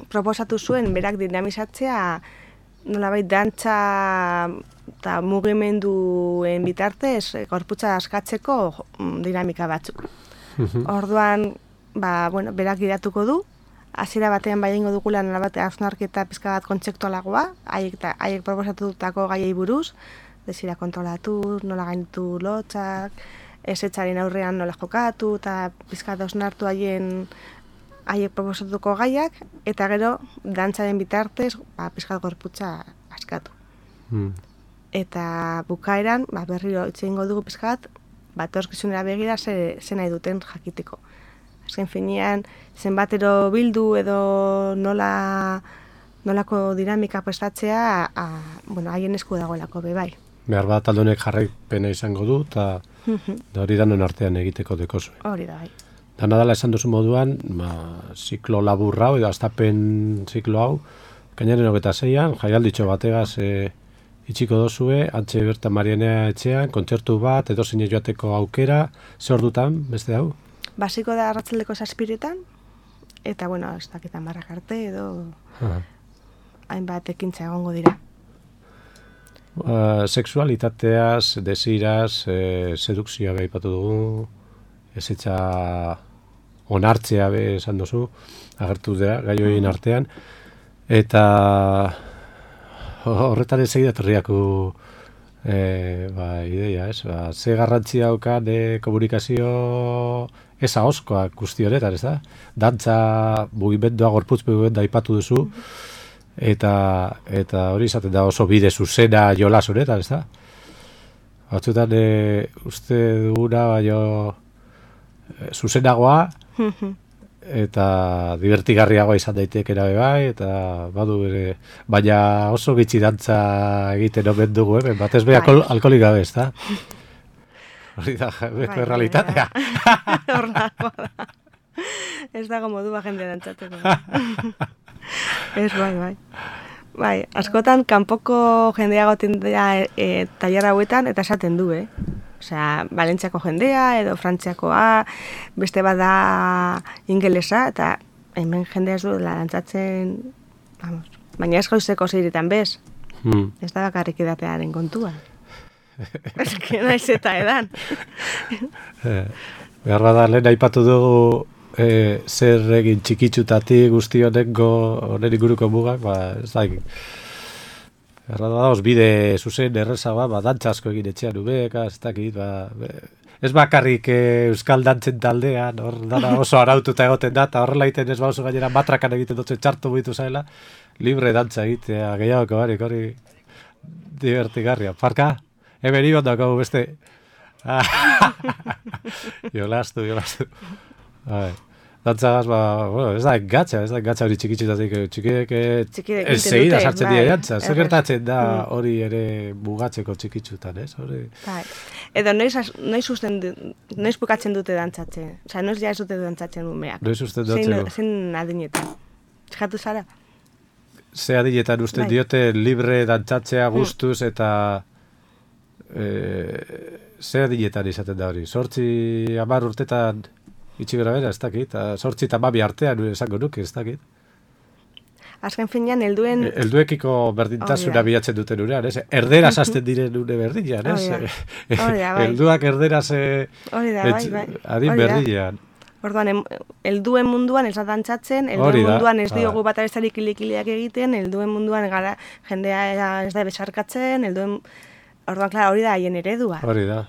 proposatu zuen berak dinamizatzea nolabait dantza eta mugimenduen bitartez gorputza askatzeko dinamika batzuk. Orduan, berak gidatuko du, hasiera batean egingo dugula nolabait hausnarketa pizka bat kontzeptualagoa, haiek proposatutako gaiei buruz, desira kontrolatu, nola gainditu lotxak, ezetzaren aurrean nola jokatu, eta pizka bat hausnartu haiek proposatuko gaiak, eta gero dantzaren bitartez pizka gorputza askatu. Eta bukaeran, berriro itxeingo dugu pizka bat, etorkizunera begira ze nahi duten jakiteko. Azken finean, zenbatero bildu edo nolako dinamika prestatzea, haien esku dagoelako bai. Behar bat taldonek jarraipena izango du, eta hori danon artean egiteko dekozu. Hori da, bai. Dana dela esan duzu moduan, ziklo laburra hau, edo aztapen ziklo hau, kainaren 26an, jaialditxo bategaz itxiko dozue, antxe bertan Marianea etxean, kontzertu bat, edo zine joateko aukera, ze ordutan, beste hau? Basiko da arratzaldeko 7etan, eta, ez dakitan barrak arte, edo hainbat ekintza egongo dira. Sexualitateaz, desiraz, sedukzioa behipatu dugu, ezetza onartzea esan duzu, agertu dira, gai horien artean, eta horretan ez egidatorriaku ideia, ez? Ze garrantzia daukan komunikazio ez ahozkoak guzti honetan, ez da? Dantza mugimendua, gorputz mugimendua aipatu duzu, eta hori izaten da oso bide zuzena jolas honetan, ez da? Batzuetan uste duguna, zuzenagoa, eta divertigarriagoa izan daitekera bai, eta badu ere, baina oso gitxi dantza egiten omen dugu, batez be alkoholik gabe, ez da? Hori da, beko errealitatea. Horrako da. Ez dago modua jendea dantzateko. Ez, bai. Bai, askotan, kanpoko jendea goten dira tailer hauetan, eta esaten du, Osea, Valentziako jendea edo Frantziakoa, beste bada ingelesa, eta hemen jende ez du dantzatzen, vamos, baina ez goizeko zeiretan bez. Ez da bakarrik edatearen kontua. Ez que naiz eta edan. Behar bada, lehen aipatu dugu zer egin txikitxutatik guzti honen inguruko mugak, ez da egin. Behar bada, bide zuzen errezagoa, dantza asko egin etxean ubeka, ez dakit, ez bakarrik euskal dantzen taldean, hor dara oso araututa egoten da, eta horrela egiten ez oso gainera matrakan egiten dutzen txartu buitu zaila, libre dantza egitea, gehiagoko barik, hori divertigarria. Parka, hemen ibondako beste. Jolastu. Dantzagaz, ez da engatxa hori txikitxutatik, txikiek ez segida sartzen dira jantza. Zer gertatzen da hori ere mugatzeko txikitxutan, ez? Edo noiz bukatzen dute dantzatzen? Osa, noiz ja ez dute dantzatzen umeak? Noiz usten dutzeko? Zein adinetan? Txikatu zara? Ze adinetan usten diote libre dantzatzea gustuz eta ze adinetan izaten da hori? 8-10 urtetan itxi gara bera, ez dakit, 8 eta 12 artean esango nuke, ez dakit. Azken finean, helduekiko berdintasuna bilatzen duten urean, ez? Erderaz hasten diren une berdinean, ez? Helduak erderaz adin berdinean. Orduan, helduen munduan ez da dantzatzen, helduen munduan ez diogu bat abestarik kilikileak egiten, helduen munduan jendea ez da besarkatzen, orduan, klar, hori da haien eredua. Hori da.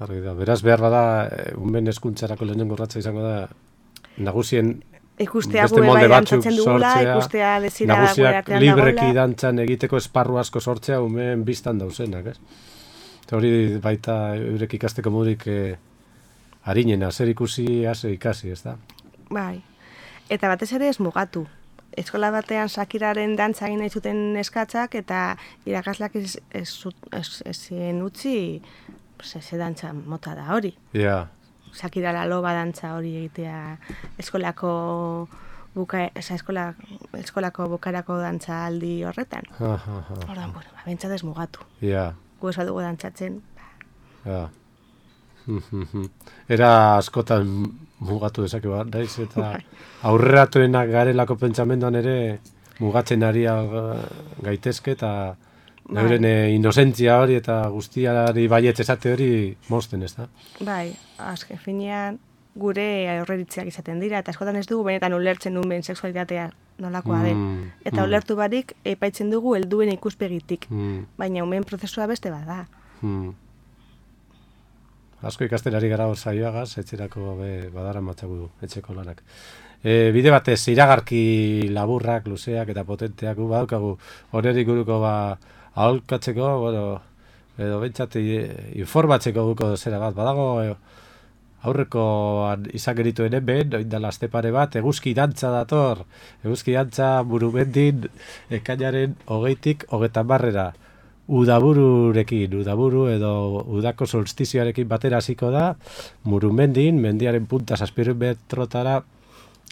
Beraz, behar bada, unben eskuntzarako lehenengo urratsa izango da, nagusien ikustea gure bai dantzatzen dugula, ikustea desira gure artean dagoela. Nagusiak libreki dantzan egiteko esparru asko sortzea, unben biztan dauzenak, ez? Eta hori baita eurek ikasteko modurik harinena, zer ikusi, ikasi, ez da? Bai, eta batez ere ez mugatu. Eskola batean Shakiraren dantza egin nahi zuten eskatzak, eta irakasleak ezin utzi, ze dantza mota da hori. Shakira la loba dantza hori egitea eskolako bukarako dantza aldi horretan. Ordan, bentsat ez mugatu. Gu ez badugu dantzatzen. Era askotan mugatu dezake bat, daiz, eta aurreratuenak garelako pentsamenduan ere mugatzen ari gaitezke, eta euren inozentzia hori eta guztiari baietz esate hori mozten, ez da? Bai, azken finean gure aurreritziak izaten dira, eta askotan ez dugu benetan ulertzen nuen sexualitatea nolakoa den. Eta ulertu barik epaitzen dugu helduen ikuspegitik, baina umen prozesua beste bada. Asko ikasten ari gara saioagaz, etxerako badara matzagu etxeko lanak. Bide batez, iragarki laburrak, luzeak eta potenteak badaukagu honerik guruko aholkatzeko, edo bentsat informatzeko guko zera bat. Badago aurreko izan gerituen hemen, oindala aste pare bat, eguzki dantza dator. Eguzki dantza Murumendin ekainaren 20-tik 30-ra. Udaburu edo udako solstizioarekin batera hasiko da, Murumendin, mendiaren punta 700 metrotara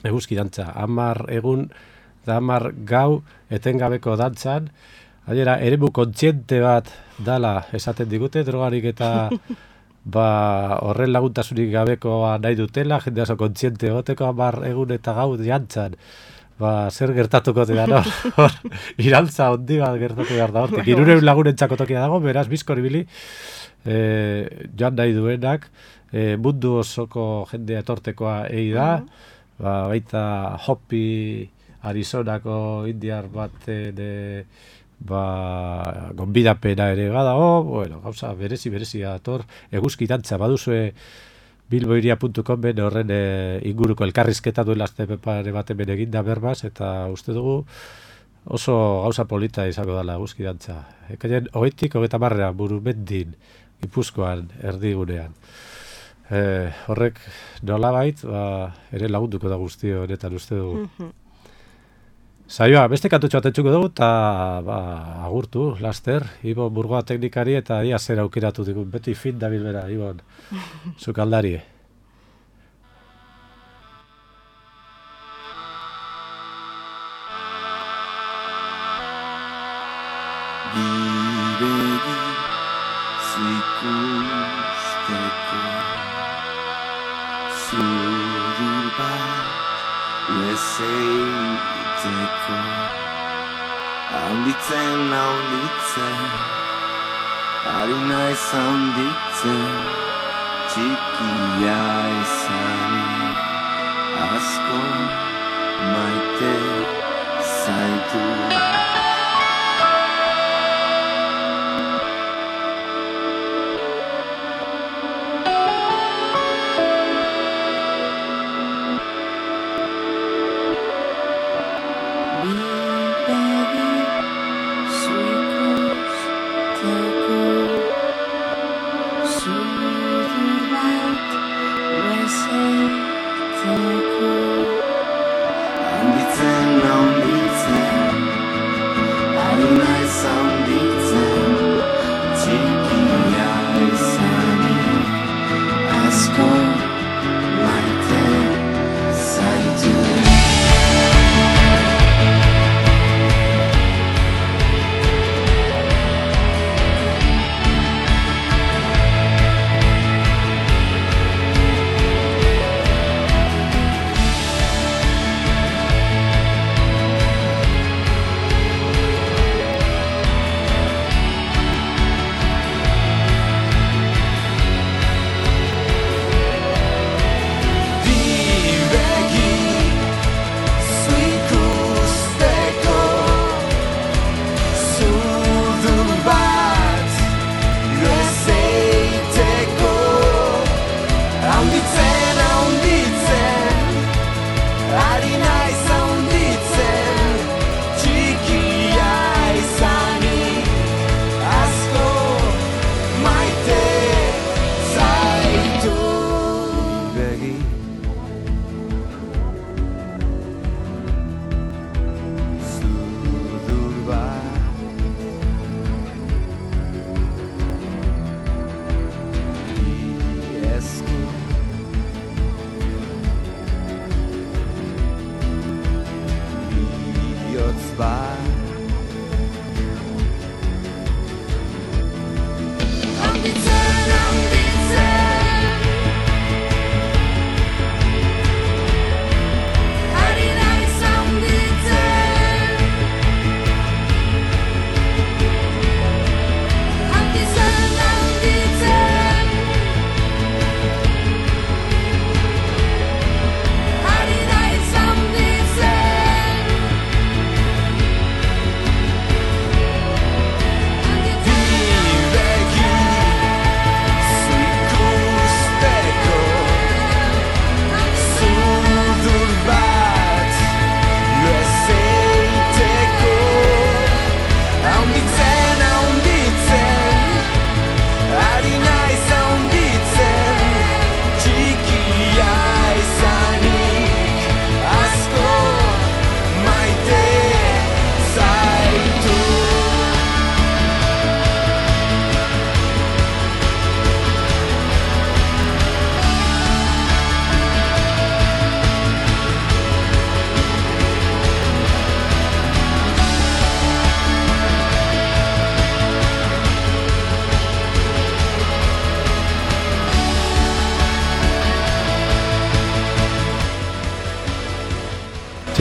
eguzki dantza. 10 egun eta 10 gau etengabeko dantzan, gainera eremu kontziente bat dala esaten digute, drogarik eta horren laguntasunik gabekoa nahi dutela, jende oso kontziente egoteko 10 egun eta gau jantzan. Zer gertatuko dira, no? Irantza hondi bat gertatu behar da hortik. 300 lagunentzako tokia dago, beraz, bizkor ibili, joan nahi duenak, mundu osoko jendea etortekoa egi da, baita Hopi, Arizonako indiar bat gonbidapena ere badago, gauza berezi dator, eguzki dantza baduzue bilboiria.com horren inguruko elkarrizketa duela azte pare bat hemen eginda berbaz, eta uste dugu oso gauza polita izango dela eguzki dantza. Ekainen 20-tik 30-ra Murumendin, Gipuzkoan, erdigunean. Horrek nolabait, ere lagunduko da guzti honetan uste dugu. Saioa, beste kantutxo atentzuko dugu, eta agurtu, laster, Ibon Burgoa teknikari, eta ia zer aukeratu digun, beti fin da bilbera, Ibon, zukaldari. Bidegi zikusteko, zuri Eseiteko handitzen, ari naiz handitzen, txikia izanik asko maite zaitu.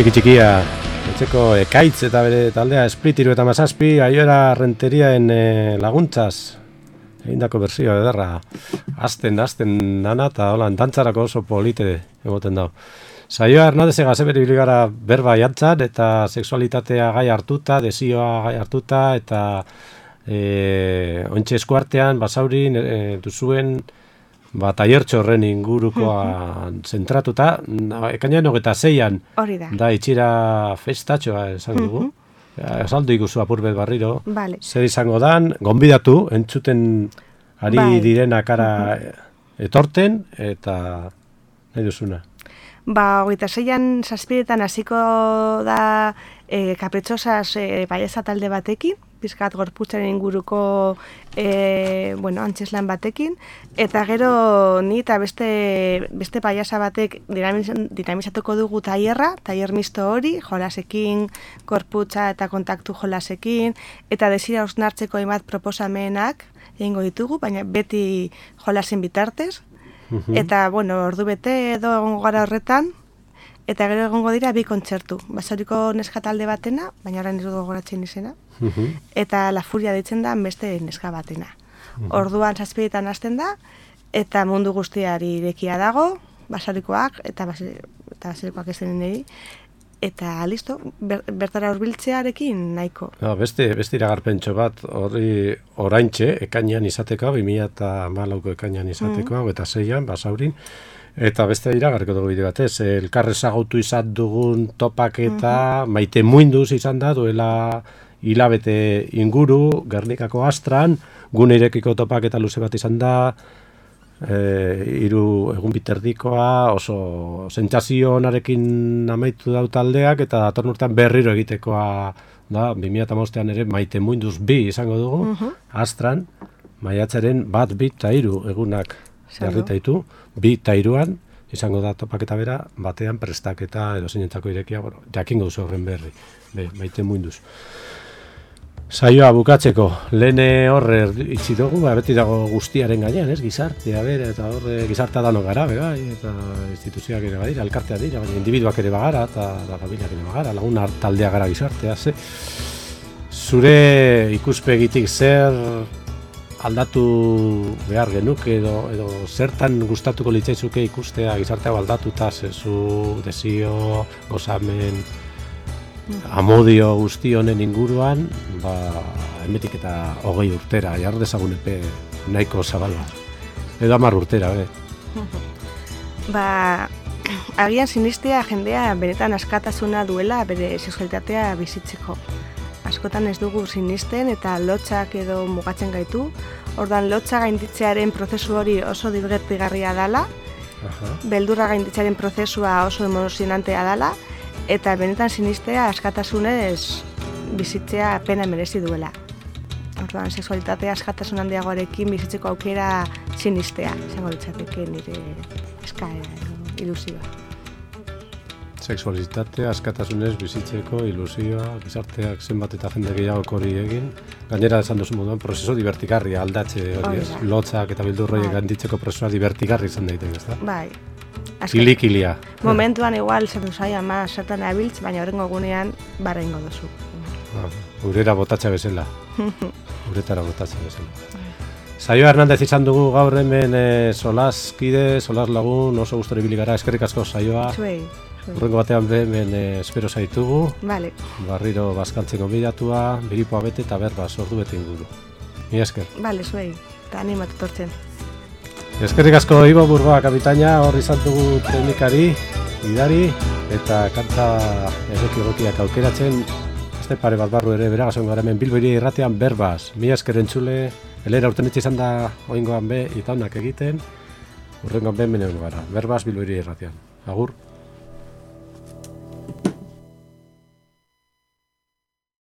Txikia, etxeko Ekaitz eta bere taldea Split 37, Aiora Renteriaen laguntzaz egindako berzio ederra. Azten nana eta holan dantzarako oso polite egoten dago. Saioa Hernandez Gazeberi biligara berba jantzan eta sexualitatea gai hartuta, desioa gai hartuta eta ontxe eskuartean, basaurin duzuen taiertxo horren ingurukoa zentratuta, ekainan 26an da itxira festatxoa esan dugu. Esaldu ikuzu apurbet barriro. Vale. Zer izango dan, gonbidatu, entzuten ari direna kara etorten eta nahi duzuna. 26an 7etan hasiko da kapritxosas paiesa talde batekin, pizkat gorputzaren inguruko antzeslan batekin, eta gero ni eta beste paiasa batek dinamizatuko dugu tailer misto hori, jolasekin, gorputza eta kontaktu jolasekin, eta desira osnartzeko hainbat proposamenak egingo ditugu, baina beti jolasen bitartez. Eta, ordu bete edo egongo gara horretan, Eta gero egongo dira 2 kontzertu. Basauriko neska talde batena, baina orain ez dut gogoratzen izena. Eta La Furia deitzen da beste neska batena. Orduan 7etan hasten da, eta mundu guztiari irekia dago, basaurikoak eta basaurikoak ez denei. Eta listo, bertara hurbiltzearekin nahiko. No, beste iragarpentxo bat hori oraintxe ekainean izateko, 2014ko ekainean izateko, eta 6an Basaurin. Eta beste iragarriko dugu bide batez, elkar ezagutu izan dugun topaketa Maite Muinduz izan da, duela hilabete inguru, Gernikako Astran, gune irekiko topaketa luze bat izan da, 3 egun biterdikoa, oso sentsazio onarekin amaitu dau taldeak, eta datorren urtean berriro egitekoa da, 2015ean ere Maite Muinduz 2 izango dugu, Astran, maiatzaren 1, 2 eta 3 egunak jarritaitu, 2 eta 3an izango da topaketa bera, batean prestaketa edo zeinentzako irekia, jakingo duzu horren berri, Maite Muinduz. Saioa bukatzeko, lehen horre itxi dugu, beti dago guztiaren gainean, gizartea bere, eta horre gizartea dano gara, eta instituzioak ere badira, elkartea dira, baina individuak ere bagara, eta familiak ere bagara, lagun taldea gara gizartea, Zure ikuspegitik zer aldatu behar genuke, edo zertan gustatuko litzaizuke ikustea gizartea aldatuta, zezu, desio, gozamen, amodio guzti honen inguruan, hemetik eta 20 urtera, jar dezagun epe nahiko zabal bat. Edo 10 urtera, Agian sinistea jendea benetan askatasuna duela bere sexualitatea bizitzeko. Askotan ez dugu sinisten eta lotxak edo mugatzen gaitu. Ordan lotxa gainditzearen prozesu hori oso dibertigarria dela, beldurra gainditzearen prozesua oso emozionantea dela, eta benetan sinistea askatasunez bizitzea pena merezi duela. Orduan, sexualitatea askatasun handiagoarekin bizitzeko aukera sinistea, izango litzateke nire eskaera edo ilusioa. Sexualitatea askatasunez bizitzeko ilusioa, gizarteak zenbat eta jende gehiago hori egin. Gainera esan duzu moduan, prozeso divertigarria aldatze hori, lotzak eta bildurroiek handitzeko prozesua divertigarri izan daiteke, ezta? Bai. Kilikilia. Momentuan igual zertu zai ama zertan abiltz, baina horrengo egunean barra ingo duzu. Urera botatza bezala. Uretara botatza bezala. Saioa Hernandez izan dugu gaur hemen solaskide, solas lagun, oso gustora ibili gara, eskerrik asko saioa. Zuei. Urrengo batean hemen espero zaitugu. Vale. Barriro bazkaltzen gonbidatua, biripoa bete eta berbaz ordu bete inguru. Mila esker. Vale, zuei. Eta animatu tortzen. Eskerrik asko Ibo Burgoa kapitaina, hor izan dugu teknikari, idari, eta kanta egokiak aukeratzen, este pare bat barru ere beragazen gara hemen Bilbo Hiria Irratian berbaz. Mila esker entzule, elera urten izan da oingoan be, eta honak egiten, urrengoan be menen gara, berbaz Bilbo Hiria Irratian. Agur.